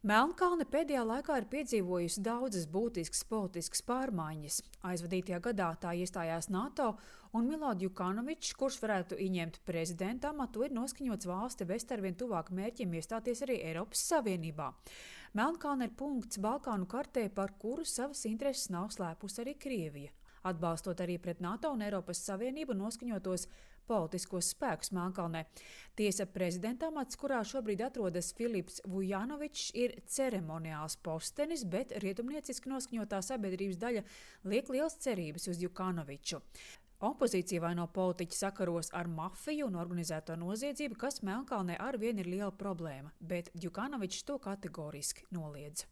Melnkalne pēdējā laikā ir piedzīvojusi daudzas būtiskas politiskas pārmaiņas. Aizvadītajā gadā tā iestājās NATO, un Milo Djukanovičs, kurš varētu ieņemt prezidenta amatu, ir noskaņots valsti vest arvien tuvāk mērķim iestāties arī Eiropas Savienībā. Melnkalne ir punkts Balkānu kartē, par kuru savas intereses nav slēpusi arī Krievija, atbalstot arī pret NATO un Eiropas Savienību noskaņotos politiskos spēkus Melnkalnē. Tiesa, prezidenta amats, kurā šobrīd atrodas Filips Vujanovičs, ir ceremoniāls postenis, bet rietumnieciski noskaņotā sabiedrības daļa liek liels cerības uz Djukanoviču. Opozīcija vaino politiķi sakaros ar mafiju un organizēto noziedzību, kas Melnkalnē arvien ir liela problēma, bet Djukanovičs to kategoriski noliedz.